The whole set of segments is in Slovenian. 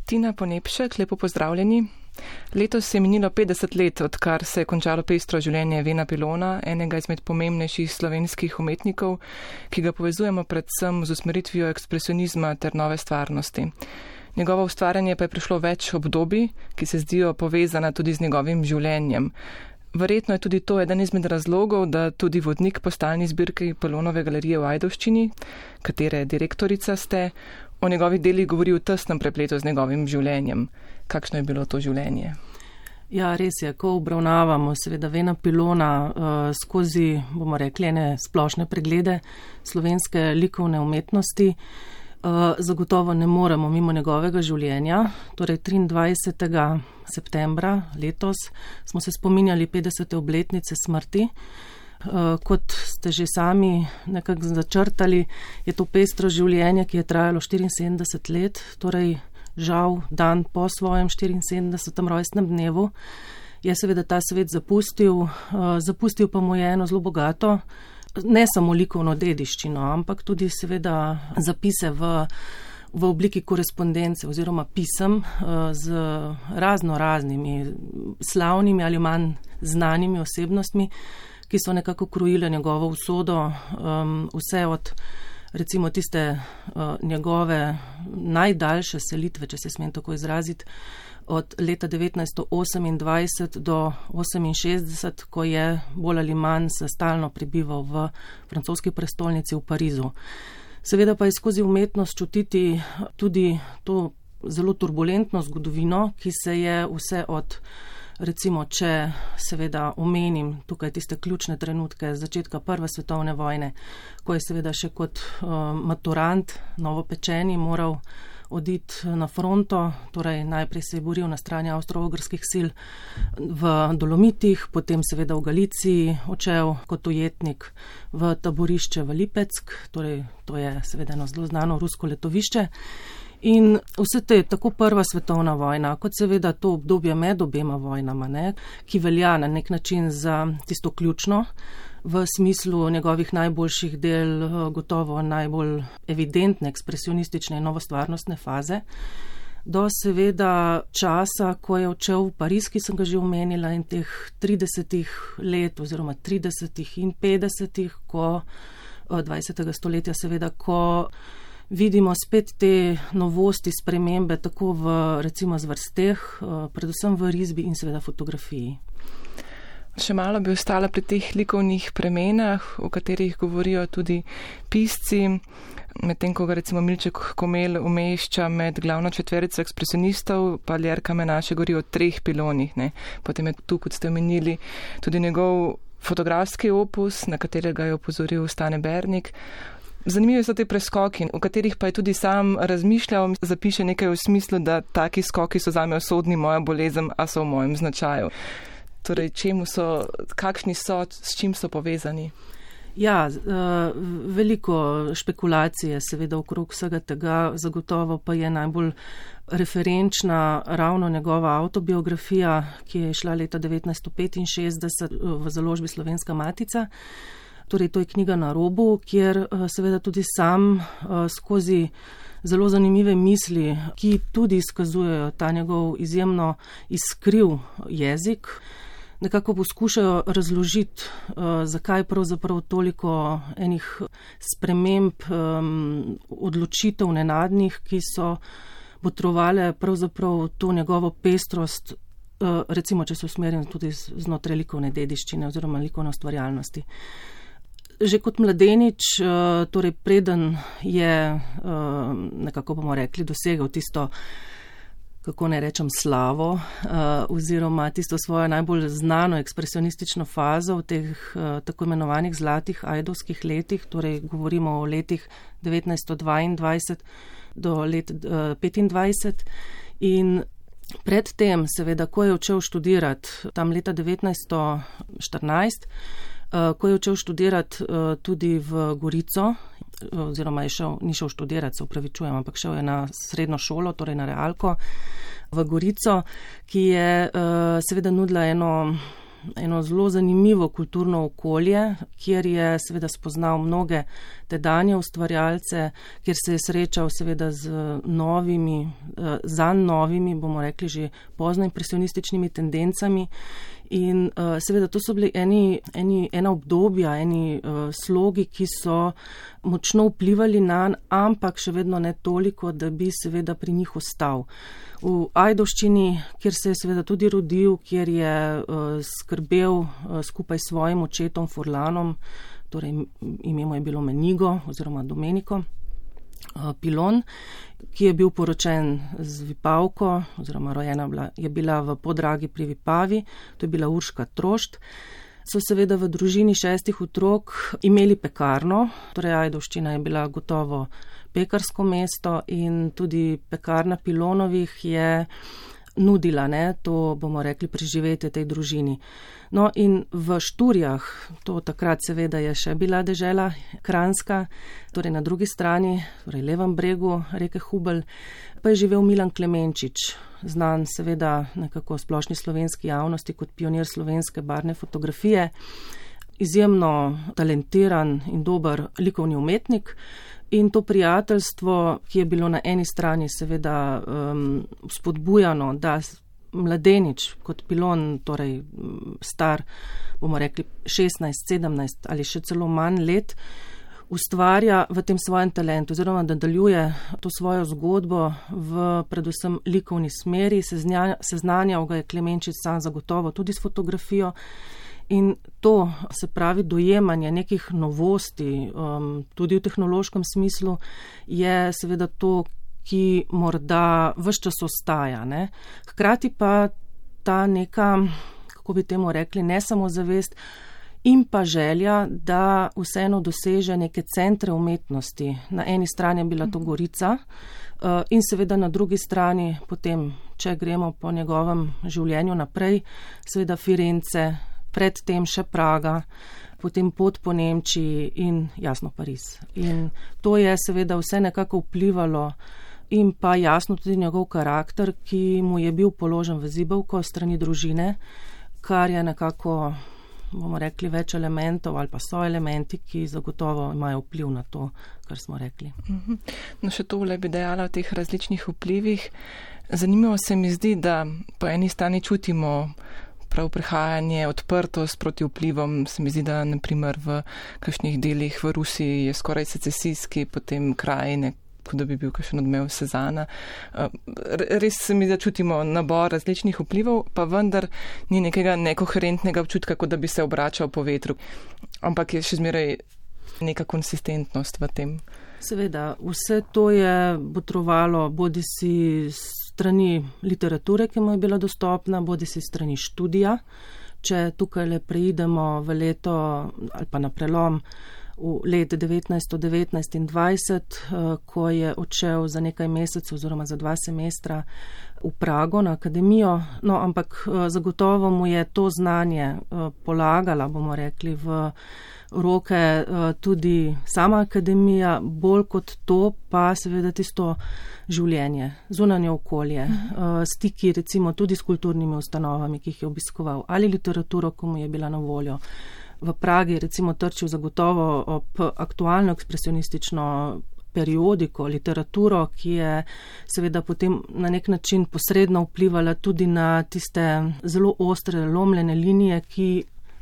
Tina Ponepšek, lepo pozdravljeni. Letos se je minilo 50 let, odkar se je končalo pestro življenje Vena Pilona, enega izmed pomembnejših slovenskih umetnikov, ki ga povezujemo predvsem z usmeritvijo ekspresionizma ter nove stvarnosti. Njegovo ustvarjanje pa je prišlo več obdobij, ki se zdijo povezana tudi z njegovim življenjem. Verjetno je tudi to eden izmed razlogov, da tudi vodnik po stalni zbirki Pilonove galerije v Ajdovščini, katere direktorica ste, o njegovih delih govori v tesnem prepletu z njegovim življenjem. Kakšno je bilo to življenje? Ja, res je, ko obravnavamo seveda Vena Pilona skozi, bomo rekli, ene splošne preglede slovenske likovne umetnosti, zagotovo ne moremo mimo njegovega življenja. Torej 23. septembra letos smo se spominjali 50. obletnice smrti. Kot ste že sami nekako začrtali, je to pestro življenje, ki je trajalo 74 let, torej žal dan po svojem 74. rojstnem dnevu, je seveda ta svet zapustil pa mu je eno zelo bogato, ne samo likovno dediščino, ampak tudi seveda zapise v obliki korespondence oziroma pisem z raznimi slavnimi ali manj znanimi osebnostmi, ki so nekako krojile njegovo usodo, vse od recimo tiste njegove najdaljše selitve, če se smem tako izraziti, od leta 1928 do 1968, ko je bolj ali manj se stalno prebival v francoski prestolnici v Parizu. Seveda pa je skozi umetnost čutiti tudi to zelo turbulentno zgodovino, ki se je vse od, recimo, če seveda omenim tukaj tiste ključne trenutke začetka Prve svetovne vojne, ko je seveda še kot maturant novopečeni moral oditi na fronto, torej najprej se je boril na strani avstro-ogrskih sil v Dolomitih, potem seveda v Galiciji odšel kot ujetnik v taborišče v Lipeck, torej to je seveda eno zelo znano rusko letovišče. In vse te, tako Prva svetovna vojna, kot seveda to obdobje med obema vojnama, ki velja na nek način za tisto ključno, v smislu njegovih najboljših del, gotovo najbolj evidentne ekspresionistične in novostvarnostne faze, do seveda časa, ko je odšel v Pariz, ki sem ga že omenila, in teh 30 let oziroma 30 in 50, ko 20. stoletja seveda, ko vidimo spet te novosti, spremembe, tako v recimo zvrsteh, predvsem v risbi in seveda fotografiji. Še malo bi ostala pri teh likovnih premenah, o katerih govorijo tudi pisci, medtem ko ga recimo Milček Komelj umešča med glavno četverico ekspresionistov, pa Ljerka Menaše govori o 3 Pilonih. Potem je tu, kot ste omenili, tudi njegov fotografski opus, na katerega je opozoril Stane Bernik. Zanimivi so te preskoki, o katerih pa je tudi sam razmišljal, zapiše nekaj v smislu, da taki skoki so zame usodni, moja bolezen, a so v mojem značaju. Torej, kakšni so, s čim so povezani? Ja, veliko špekulacije seveda okrog vsega tega, zagotovo pa je najbolj referenčna ravno njegova avtobiografija, ki je šla leta 1965 v založbi Slovenska matica. Torej, to je knjiga Na robu, kjer seveda tudi sam skozi zelo zanimive misli, ki tudi izkazujejo ta njegov izjemno iskriv jezik, nekako poskušajo razložiti, zakaj pravzaprav toliko enih sprememb, odločitev nenadnih, ki so botrovale pravzaprav to njegovo pestrost, recimo, če se usmerim tudi znotraj likovne dediščine oziroma likovne ustvarjalnosti. Že kot mladenič, torej preden je nekako, bomo rekli, dosegel tisto, kako ne rečem, slavo oziroma tisto svojo najbolj znano ekspresionistično fazo v teh tako imenovanih zlatih ajdovskih letih, torej govorimo o letih 1922 do let 25 in predtem, seveda, ko je odšel študirati tam leta 1914, ko je odšel študirati tudi v Gorico, oziroma ni šel študirati, se upravičujem, ampak šel je na srednjo šolo, torej na realko v Gorico, ki je seveda nudila eno eno zelo zanimivo kulturno okolje, kjer je seveda spoznal mnoge tedanje ustvarjalce, kjer se je srečal seveda z novimi, zanj novimi, bomo rekli že poznoimpresionističnimi tendencami. In seveda to so bili ena obdobja, eni slogi, ki so močno vplivali nanj, ampak še vedno ne toliko, da bi seveda pri njih ostal. V Ajdovščini, kjer se je seveda tudi rodil, kjer je skrbel skupaj s svojim očetom Furlanom, torej ime mu je bilo Menigo oziroma Domenico Pilon, ki je bil poročen z Vipavko oziroma rojena je bila v Podragi pri Vipavi, to je bila Urška Trošt. So seveda v družini 6 otrok imeli pekarno, torej Ajdovščina je bila gotovo pekarsko mesto in tudi pekarna Pilonovih je nudila, to bomo rekli, preživetje tej družini. No in v Šturjah, to takrat seveda je še bila dežela Kranjska, torej na drugi strani, torej levem bregu reke Hubelj, pa je živel Milan Klemenčič, znan seveda nekako splošni slovenski javnosti kot pionir slovenske barvne fotografije, izjemno talentiran in dober likovni umetnik. In to prijateljstvo, ki je bilo na eni strani seveda spodbujano, da mladenič kot Pilon, torej star, bomo rekli 16, 17 ali še celo manj let, ustvarja v tem svojem talentu, oziroma da nadaljuje to svojo zgodbo v predvsem likovni smeri, seznanjal ga je Klemenčič sam zagotovo tudi s fotografijo. In to, se pravi, dojemanje nekih novosti, tudi v tehnološkem smislu, je seveda to, ki morda ves čas ostaja. Hkrati pa ta neka, kako bi temu rekli, ne samo zavest in pa želja, da vseeno doseže neke centre umetnosti. Na eni strani je bila to Gorica in seveda na drugi strani, potem, če gremo po njegovem življenju naprej, seveda Firence, predtem še Praga, potem pot po Nemčiji in jasno Pariz. In to je seveda vse nekako vplivalo in pa jasno tudi njegov karakter, ki mu je bil položen v zibelko strani družine, kar je nekako, bomo rekli, več elementov ali pa so elementi, ki zagotovo imajo vpliv na to, kar smo rekli. No, še tole bi dejala o teh različnih vplivih. Zanimivo se mi zdi, da po eni strani čutimo prav prehajanje, odprtost proti vplivom. Se mi zdi, da naprimer v kakšnih delih v Rusiji je skoraj secesijski, potem krajine, kot da bi bil kakšen odmev Sezana. Res se mi zdi, da čutimo nabor različnih vplivov, pa vendar ni nekega nekoherentnega občutka, kot da bi se obračal po vetru. Ampak je še zmeraj neka konsistentnost v tem. Seveda, vse to je botrovalo bodisi strani literature, ki mu je bila dostopna, bodisi strani študija. Če tukaj le preidemo v leto ali pa na prelom v let 1919 in 20, ko je odšel za nekaj mesecev oziroma za 2 semestra v Prago na akademijo, no ampak zagotovo mu je to znanje polagala, bomo rekli, v roke tudi sama akademija, bolj kot to pa seveda tisto življenje, zunanje okolje, stiki recimo tudi s kulturnimi ustanovami, ki jih je obiskoval, ali literaturo, ko mu je bila na voljo. V Pragi recimo trčil zagotovo ob aktualno ekspresionistično periodiko, literaturo, ki je seveda potem na nek način posredno vplivala tudi na tiste zelo ostre, lomljene linije, ki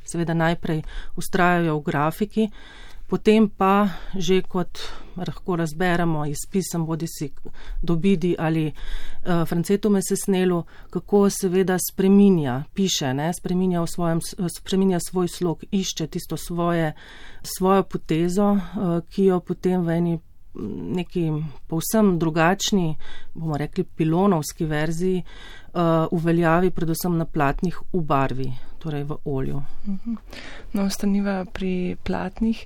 seveda najprej ustrajajo v grafiki, potem pa že kot lahko razberemo iz pisem bodisi Dobidi ali Francetume Sesnelu, kako seveda spreminja, piše, spreminja svoj slog, išče tisto svojo potezo, ki jo potem v neki povsem drugačni, bomo rekli pilonovski verziji, uveljavi predvsem na platnih v barvi, torej v olju. No, ostaniva pri platnih,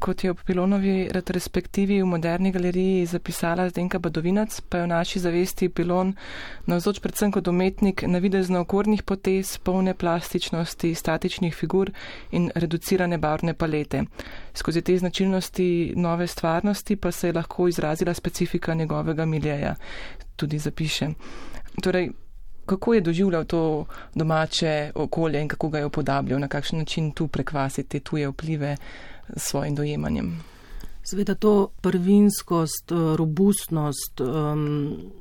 kot je ob Pilonovi retrospektivi v Moderni galeriji zapisala Zdenka Badovinac, pa je v naši zavesti Pilon navzoč predvsem kot umetnik navidezno okornih potez, polne plastičnosti, statičnih figur in reducirane barvne palete. Skozi te značilnosti nove stvarnosti pa se je lahko izrazila specifika njegovega miljeja, tudi zapiše. Torej, Kako je doživljal to domače okolje in kako ga je upodabljal, na kakšen način tu prekvasiti tuje vplive s svojim dojemanjem? Seveda to prvinskost, robustnost,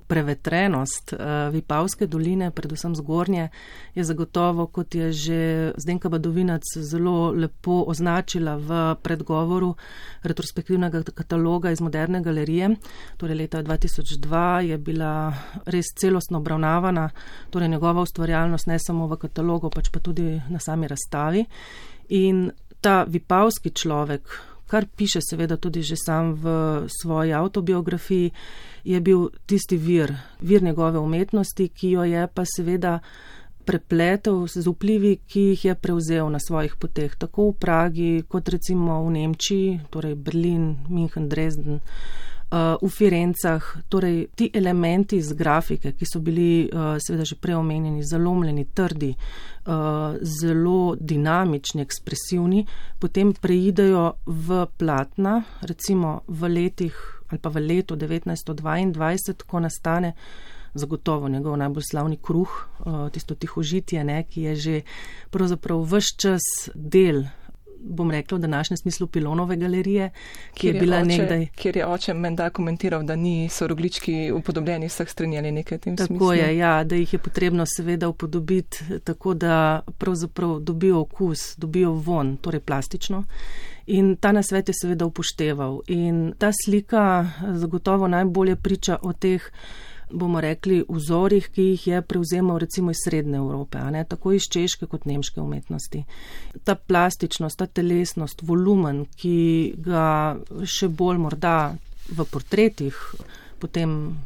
prevetrenost Vipavske doline, predvsem zgornje, je zagotovo, kot je že Zdenka Badovinac zelo lepo označila v predgovoru retrospektivnega kataloga iz Moderne galerije. Torej leta 2002 je bila res celostno obravnavana, torej njegova ustvarjalnost ne samo v katalogu, pač pa tudi na sami razstavi. In ta vipavski človek, kar piše seveda tudi že sam v svoji avtobiografiji, je bil tisti vir njegove umetnosti, ki jo je pa seveda prepletel z vplivi, ki jih je prevzel na svojih poteh, tako v Pragi, kot recimo v Nemčiji, torej Berlin, München, Dresden, v Firencah, torej ti elementi iz grafike, ki so bili seveda že preomenjeni, zalomljeni, trdi, zelo dinamični, ekspresivni, potem preidejo v platna, recimo v letih ali pa v letu 1922, ko nastane zagotovo njegov najbolj slavni Kruh, tisto tihožitje, ki je že pravzaprav ves čas del, bom rekla, v današnjem smislu Pilonove galerije, kjer je oče menda komentiral, da so roglički upodobljeni vseh strani ali nekaj v tem smislu. Tako je, ja, da jih je potrebno seveda upodobiti tako, da pravzaprav dobijo okus, dobijo von, torej plastično. In ta nasvet je seveda upošteval. In ta slika zagotovo najbolje priča o teh, bomo rekli, vzorih, ki jih je prevzemal recimo iz Srednje Evrope, tako iz češke kot nemške umetnosti. Ta plastičnost, ta telesnost, volumen, ki ga še bolj morda v portretih potem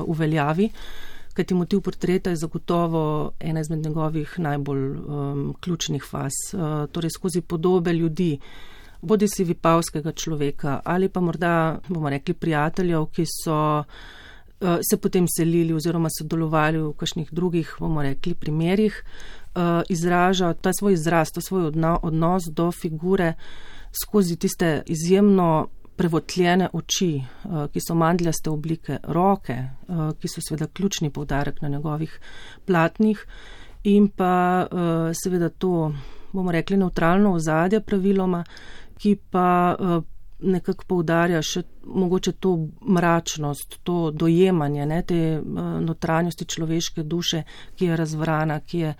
uveljavi, kajti motiv portreta je zagotovo ena izmed njegovih najbolj ključnih faz. Torej skozi podobe ljudi, bodi si vipavskega človeka ali pa morda, bomo rekli, prijateljev, ki so se potem selili oziroma sodelovali v kakšnih drugih, bomo rekli, primerih, izraža ta svoj izraz, ta svoj odnos do figure skozi tiste izjemno prevotljene oči, ki so mandljaste oblike, roke, ki so seveda ključni poudarek na njegovih platnih, in pa seveda to, bomo rekli, nevtralno ozadje praviloma, ki pa nekako poudarja še mogoče to mračnost, to dojemanje, te notranjosti človeške duše, ki je razvrana, ki je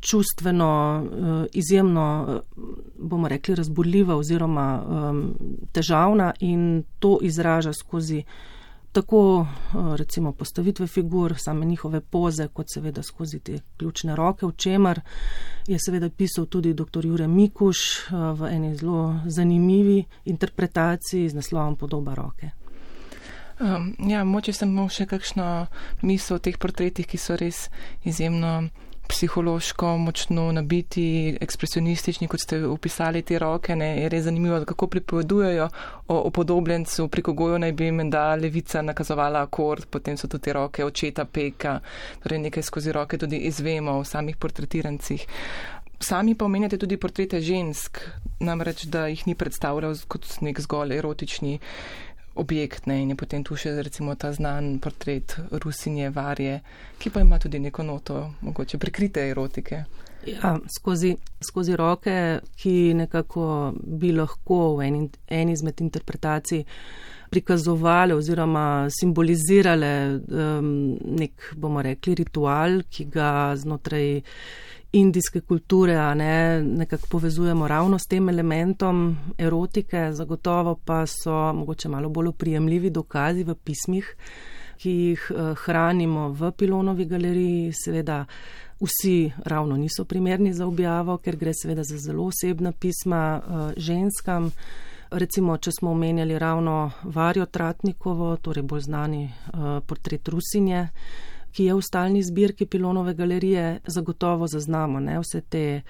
čustveno izjemno, bomo rekli, razburljiva oziroma težavna, in to izraža skozi tako recimo postavitve figur, same njihove poze, kot seveda skozi te ključne roke, v čemer je seveda pisal tudi dr. Jure Mikuš v eni zelo zanimivi interpretaciji z naslovom Podoba roke. Moče sem še kakšno misel o teh portretih, ki so res izjemno psihološko močno nabiti, ekspresionistični, kot ste opisali te roke, je res zanimivo, kako pripovedujejo o upodobljencu, preko gojo naj bi menda levica nakazovala akord, potem so tudi te roke očeta Peka, torej nekaj skozi roke tudi izvemo v samih portretirancih. Sami pa omenjate tudi portrete žensk, namreč, da jih ni predstavljal kot nek zgolj erotični objekt, in je potem tu še recimo ta znan portret Rusinje Varje, ki pa ima tudi neko noto mogoče prikrite erotike. Ja, skozi roke, ki nekako bi lahko v eni izmed interpretacij prikazovale oziroma simbolizirale nek, bomo rekli, ritual, ki ga znotraj indijske kulture nekako povezujemo ravno s tem elementom erotike, zagotovo pa so mogoče malo bolj oprijemljivi dokazi v pismih, ki jih hranimo v Pilonovi galeriji. Seveda vsi ravno niso primerni za objavo, ker gre seveda za zelo osebna pisma ženskam. Recimo, če smo omenjali ravno Varjo Tratnikovo, torej bolj znani portret Rusinje, ki je v stalni zbirki Pilonove galerije, zagotovo zaznamo vse te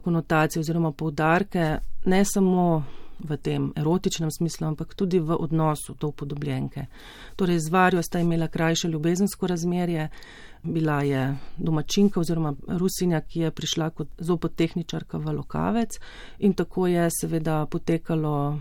konotacije oziroma poudarke, ne samo v tem erotičnem smislu, ampak tudi v odnosu do upodobljenke. Torej, z Varjo sta imela krajše ljubezensko razmerje, bila je domačinka oziroma Rusinja, ki je prišla kot zobotehničarka v Lokavec in tako je seveda potekalo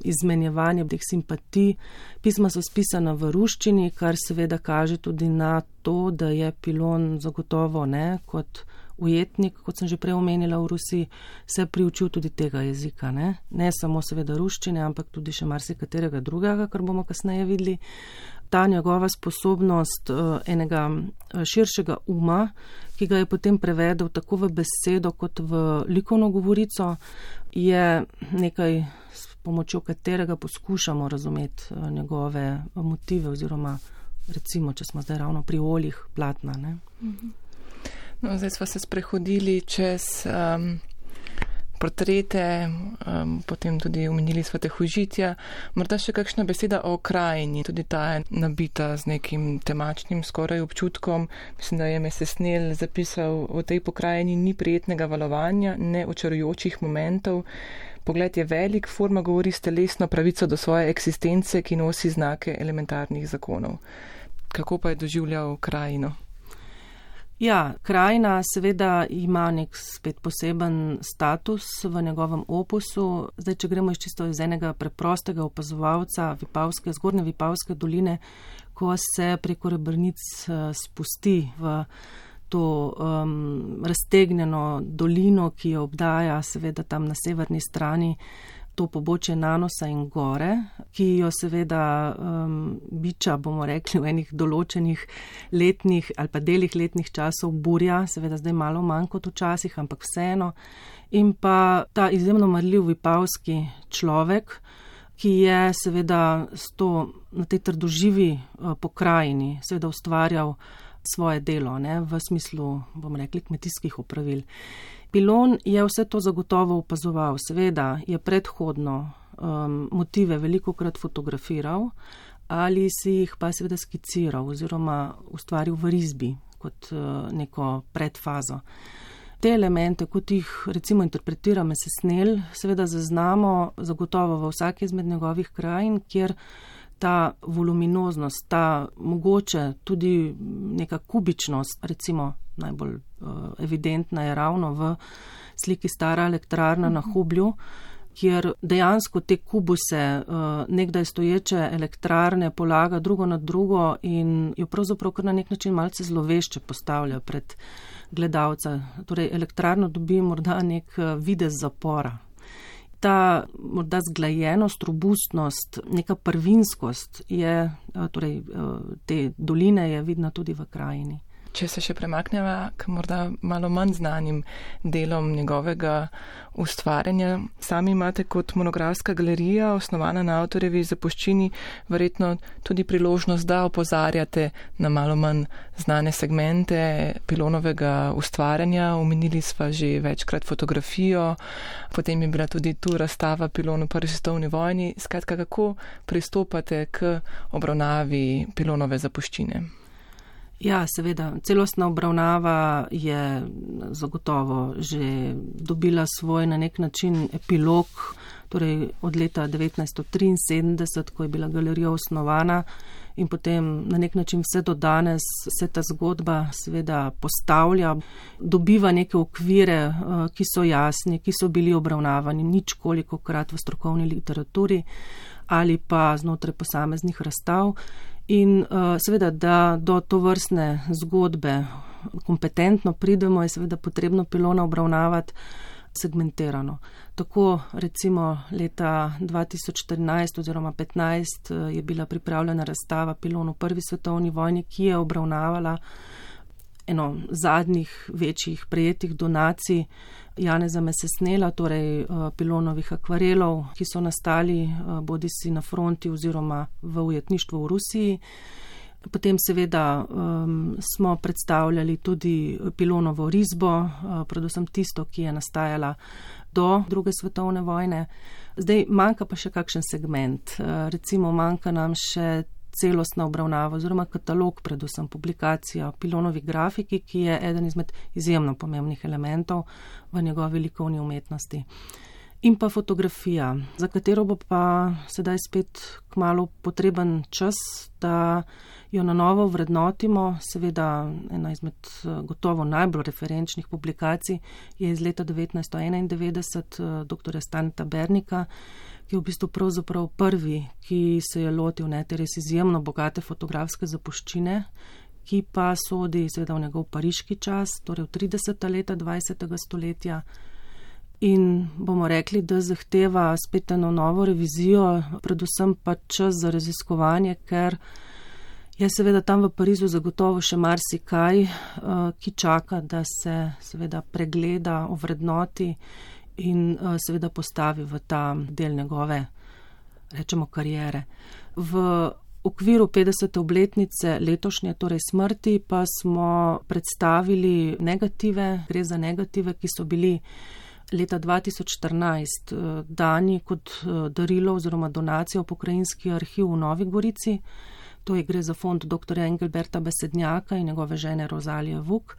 izmenjevanje teh simpatij. Pisma so spisana v ruščini, kar seveda kaže tudi na to, da je Pilon zagotovo kot ujetnik, kot sem že prej omenila v Rusiji, se priučil tudi tega jezika. Ne samo seveda ruščine, ampak tudi še marsikaterega drugega, kar bomo kasneje videli. Ta njegova sposobnost enega širšega uma, ki ga je potem prevedel tako v besedo kot v likovno govorico, je nekaj, s pomočjo katerega poskušamo razumeti njegove motive oziroma recimo, če smo zdaj ravno pri oljih, platna. No, zdaj smo se sprehodili čez portrete, potem tudi omenili smo tehožitja. Morda še kakšna beseda o krajini, tudi ta je nabita z nekim temačnim skoraj občutkom. Mislim, da je Mesesnel zapisal, v tej pokrajini ni prijetnega valovanja, ne očarujočih momentov. Pogled je velik, forma govori s telesno pravico do svoje eksistence, ki nosi znake elementarnih zakonov. Kako pa je doživljal krajino? Ja, krajina seveda ima nek spet poseben status v njegovem opusu. Zdaj, če gremo čisto iz enega preprostega opazovalca zgornje Vipavske doline, ko se preko Rebrnic spusti v to raztegnjeno dolino, ki jo obdaja seveda tam na severni strani to pobočje Nanosa in gore, ki jo seveda biča, bomo rekli, v enih določenih letnih ali pa delih letnih časov burja, seveda zdaj malo manj kot včasih, ampak vseeno. In pa ta izjemno marljiv vipavski človek, ki je seveda na tej trdoživi pokrajini seveda ustvarjal svoje delo, v smislu, bomo rekli, kmetijskih opravil. Pilon je vse to zagotovo opazoval, seveda je predhodno motive velikokrat fotografiral ali si jih pa seveda skiciral oziroma ustvaril v risbi kot neko predfazo. Te elemente, kot jih recimo interpretira Mesesnel, seveda zaznamo zagotovo v vsaki izmed njegovih krajin, kjer ta voluminoznost, ta mogoče tudi neka kubičnost, recimo najbolj evidentna je ravno v sliki Stara elektrarna na Hublju, kjer dejansko te kubuse nekdaj stoječe elektrarne polaga drugo na drugo in jo pravzaprav kar na nek način malce zlovešče postavlja pred gledalca. Torej elektrarno dobi morda nek videz zapora. Ta morda zglajenost, robustnost, neka prvinskost je, torej te doline je vidna tudi v krajini. Če se še premakneva k morda malo manj znanim delom njegovega ustvarjanja, sami imate kot monografska galerija, osnovana na avtorjevi zapuščini, verjetno tudi priložnost, da opozarjate na malo manj znane segmente Pilonovega ustvarjanja. Omenili sva že večkrat fotografijo, potem je bila tudi tu razstava Pilon v Prvi svetovni vojni. Skratka, kako pristopate k obravnavi Pilonove zapuščine? Ja, seveda, celostna obravnava je zagotovo že dobila svoj na nek način epilog, torej od leta 1973, ko je bila galerija osnovana in potem na nek način vse do danes se ta zgodba seveda postavlja, dobiva neke okvire, ki so jasni, ki so bili obravnavani ničkolikokrat v strokovni literaturi ali pa znotraj posameznih razstav. In seveda, da do tovrstne zgodbe kompetentno pridemo, je seveda potrebno Pilona obravnavati segmentirano. Tako recimo leta 2014 oziroma 2015 je bila pripravljena razstava Pilon v Prvi svetovni vojni, ki je obravnavala eno zadnjih večjih prejetih donacij Janeza Mesesnela, torej Pilonovih akvarelov, ki so nastali bodisi na fronti oziroma v ujetništvu v Rusiji. Potem seveda smo predstavljali tudi Pilonovo risbo, predvsem tisto, ki je nastajala do Druge svetovne vojne. Zdaj manjka pa še kakšen segment. Recimo manjka nam še celostna obravnava oziroma katalog, predvsem publikacija Pilonovi grafiki, ki je eden izmed izjemno pomembnih elementov v njegovi likovni umetnosti. in pa fotografija, za katero bo pa sedaj spet kmalu potreben čas, da jo na novo vrednotimo. Seveda ena izmed gotovo najbolj referenčnih publikacij je iz leta 1991 dr. Staneta Bernika, ki je v bistvu pravzaprav prvi, ki se je lotil te res izjemno bogate fotografske zapuščine, ki pa sodi seveda v njegov pariški čas, torej v 30. leta 20. stoletja. In bomo rekli, da zahteva spet eno novo revizijo, predvsem pa čas za raziskovanje, ker je seveda tam v Parizu zagotovo še marsikaj, ki čaka, da se seveda pregleda, ovrednoti in seveda postavi v ta del njegove, rečemo, kariere. V okviru 50. obletnice letošnje, torej smrti, pa smo predstavili negative, gre za negative, ki so bili leta 2014 dani kot darilo oziroma donacijo v Pokrajinski arhiv v Novi Gorici. To je gre za fond dr. Engelberta Besednjaka in njegove žene Rozalije Vuk.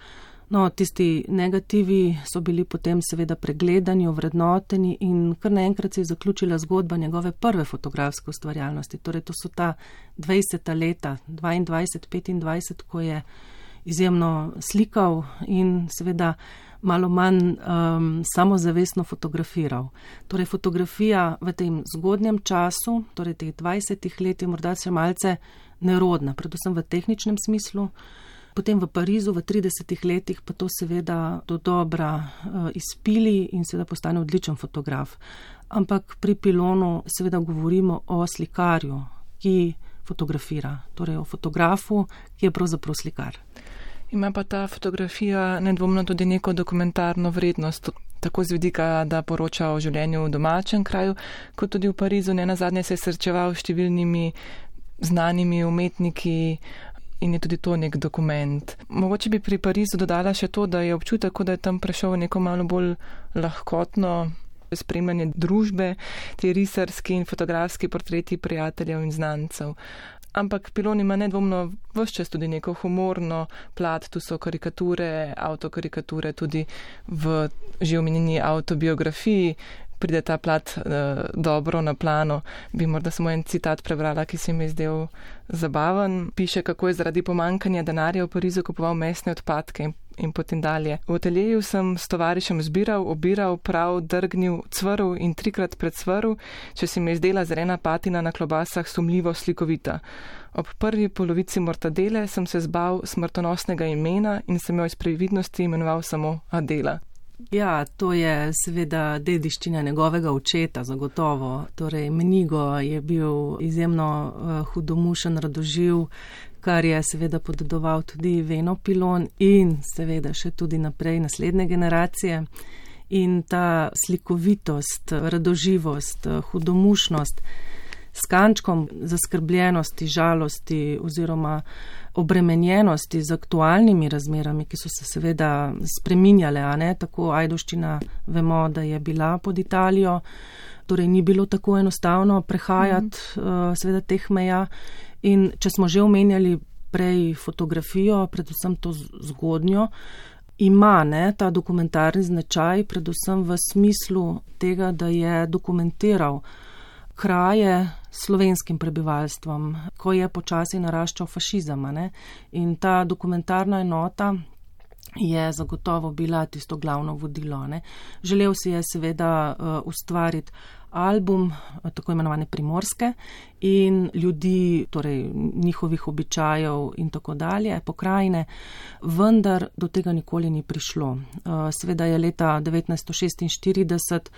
No, tisti negativi so bili potem seveda pregledani, ovrednoteni in kar naenkrat se je zaključila zgodba njegove prve fotografske ustvarjalnosti. Torej, to so ta 20. leta, 22-25, ko je izjemno slikal in seveda malo manj samozavestno fotografiral. Torej, fotografija v tem zgodnjem času, torej teh 20 let, je morda še malce nerodna, predvsem v tehničnem smislu. Potem v Parizu v 30 letih pa to seveda do dobra izpili in seveda postane odličen fotograf. Ampak pri Pilonu seveda govorimo o slikarju, ki fotografira, torej o fotografu, ki je pravzaprav slikar. Ima pa ta fotografija nedvomno tudi neko dokumentarno vrednost, tako z vidika, da poroča o življenju v domačem kraju, kot tudi v Parizu. Nenazadnje se je srečeval s številnimi znanimi umetniki in je tudi to nek dokument. Mogoče bi pri Parizu dodala še to, da je občutek, da je tam prešel neko malo bolj lahkotno spremljanje družbe, ti risarski in fotografski portreti prijateljev in znancev. Ampak Pilon ima nedvomno ves čas tudi neko humorno plat, tu so karikature, avtokarikature, tudi v že omenjeni avtobiografiji pride ta plat dobro na plano. Bi morda samo en citat prebrala, ki se mi je zdel zabaven. Piše, kako je zaradi pomankanja denarja v Parizu kupoval mesne odpadke in potem dalje. V ateljeju sem s tovarišem zbiral, obiral, prav, drgnil, cvrl in 3krat predsvrl, če se mi je zdela zelena patina na klobasah sumljivo slikovita. Ob prvi polovici mortadele sem se zbal smrtonosnega imena in sem jo iz previdnosti imenoval samo Adela. Ja, to je seveda dediščina njegovega očeta, zagotovo. Torej, Menigo je bil izjemno hudomušen radoživ, kar je seveda podedoval tudi Veno Pilon in seveda še tudi naprej naslednje generacije. In ta slikovitost, radoživost, hudomušnost s kančkom zaskrbljenosti, žalosti oziroma obremenjenosti z aktualnimi razmerami, ki so se seveda spreminjale, a ne, tako Ajdovščina vemo, da je bila pod Italijo, torej ni bilo tako enostavno prehajati seveda teh meja. In če smo že omenjali prej fotografijo, predvsem to zgodnjo, ima ta dokumentarni značaj, predvsem v smislu tega, da je dokumentiral kraje slovenskim prebivalstvom, ko je počasi naraščal fašizem. In ta dokumentarna enota je zagotovo bila tisto glavno vodilo. Želel si je seveda ustvariti album, tako imenovane primorske, in ljudi, torej njihovih običajev in tako dalje, pokrajine, vendar do tega nikoli ni prišlo. Seveda je leta 1946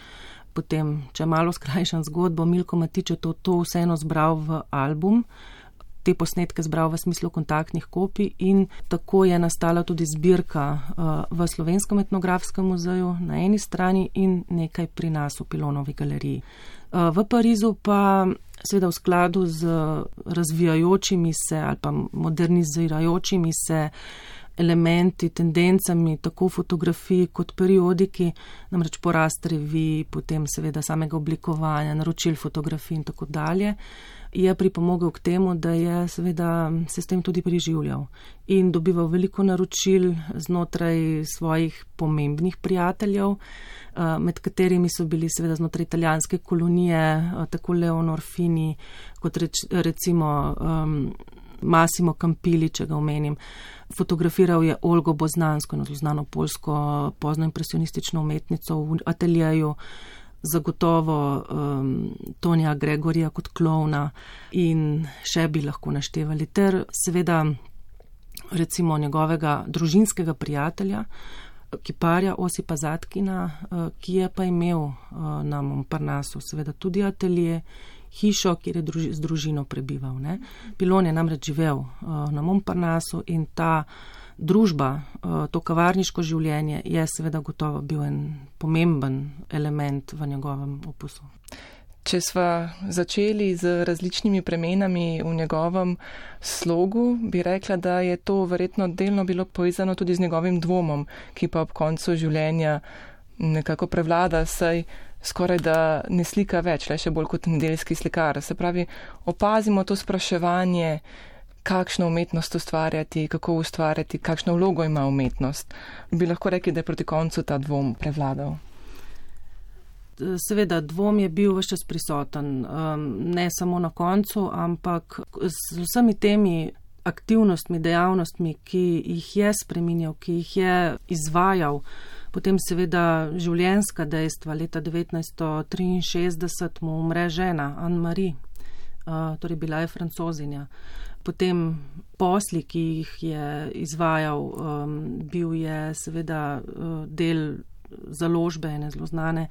potem, če malo skrajšam zgodbo, Milko Matič je to vseeno zbral v album, te posnetke zbral v smislu kontaktnih kopij in tako je nastala tudi zbirka v Slovenskem etnografskem muzeju na eni strani in nekaj pri nas v Pilonovi galeriji. V Parizu pa seveda v skladu z razvijajočimi se ali pa modernizirajočimi se elementi, tendencami, tako fotografiji kot periodiki, namreč porast revij, potem seveda samega oblikovanja, naročil fotografij in tako dalje, je pripomogel k temu, da je seveda se s tem tudi preživljal in dobival veliko naročil znotraj svojih pomembnih prijateljev, med katerimi so bili seveda znotraj italijanske kolonije, tako Leonor Fini, kot recimo Massimo Campilli, če ga omenim. Fotografiral je Olgo Boznansko, znano poljsko poznoimpresionistično umetnico v ateljeju, zagotovo Tonija Gregorija kot klovna in še bi lahko naštevali. Ter seveda recimo njegovega družinskega prijatelja, kiparja Osipa Zatkina, ki je pa imel na Montparnasu seveda tudi atelje, hišo, kjer je z družino prebival. Ne. Pilon je namreč živel na Montparnasu in ta družba, to kavarniško življenje je seveda gotovo bil en pomemben element v njegovem opusu. Če sva začeli z različnimi premenami v njegovem slogu, bi rekla, da je to verjetno delno bilo povezano tudi z njegovim dvomom, ki pa ob koncu življenja nekako prevlada, saj skoraj da ne slika več, le še bolj kot nedeljski slikar. Se pravi, opazimo to spraševanje, kakšno umetnost ustvarjati, kako ustvarjati, kakšno vlogo ima umetnost. Bi lahko rekli, da je proti koncu ta dvom prevladal? Seveda, dvom je bil ves čas prisoten, ne samo na koncu, ampak z vsemi temi aktivnostmi, dejavnostmi, ki jih je spreminjal, ki jih je izvajal, potem seveda življenjska dejstva. Leta 1963 mu umre žena, Anne-Marie, torej bila je Francozinja. Potem posli, ki jih je izvajal, bil je seveda del založbe, ene zelo znane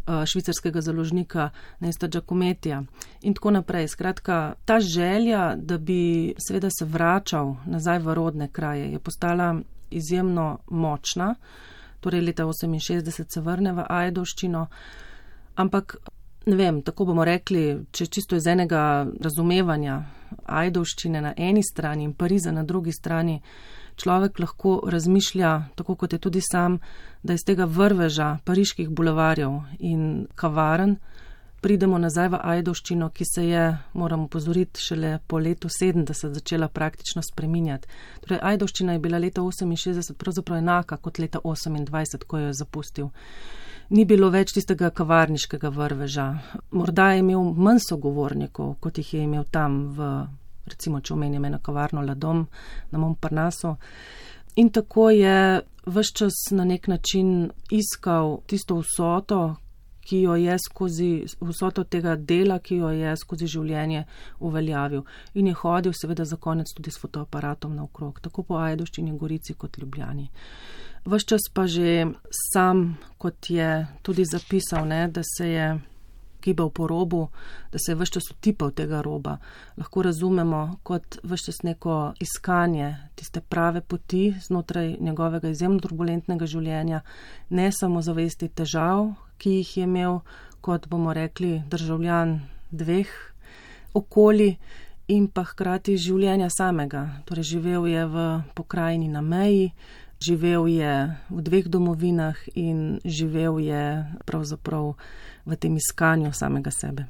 švicarskega založnika Nesta Giacomettija in tako naprej. Skratka, ta želja, da bi seveda se vračal nazaj v rodne kraje, je postala izjemno močna. Torej leta 1968 se vrne v Ajdovščino, ampak ne vem, tako bomo rekli, če čisto iz enega razumevanja Ajdovščine na eni strani in Pariza na drugi strani, človek lahko razmišlja, tako kot je tudi sam, da iz tega vrveža pariških bulevarjev in kavaren pridemo nazaj v Ajdovščino, ki se je, moram opozoriti, šele po letu 70 začela praktično spreminjati. Torej, Ajdovščina je bila leta 68 pravzaprav enaka kot leta 28, ko jo je zapustil. Ni bilo več tistega kavarniškega vrveža. Morda je imel manj sogovornikov, kot jih je imel tam v, recimo, če omenjam eno kavarno La Dom na Montparnasu. In tako je ves čas na nek način iskal tisto vsoto, ki jo je vsoto tega dela, ki jo je skozi življenje uveljavil. In je hodil seveda za konec tudi s fotoaparatom naokrog, tako po Ajdovščini, Gorici kot Ljubljani. Ves čas pa že sam, kot je tudi zapisal, ne, da se je gibal po robu, da se je ves čas utipal tega roba. Lahko razumemo kot ves čas neko iskanje tiste prave poti znotraj njegovega izjemno turbulentnega življenja, ne samo zavesti težav, ki jih je imel kot, bomo rekli, državljan dveh okolij in pa hkrati življenja samega. Torej živel je v pokrajini na meji, živel je v dveh domovinah in živel je pravzaprav v tem iskanju samega sebe.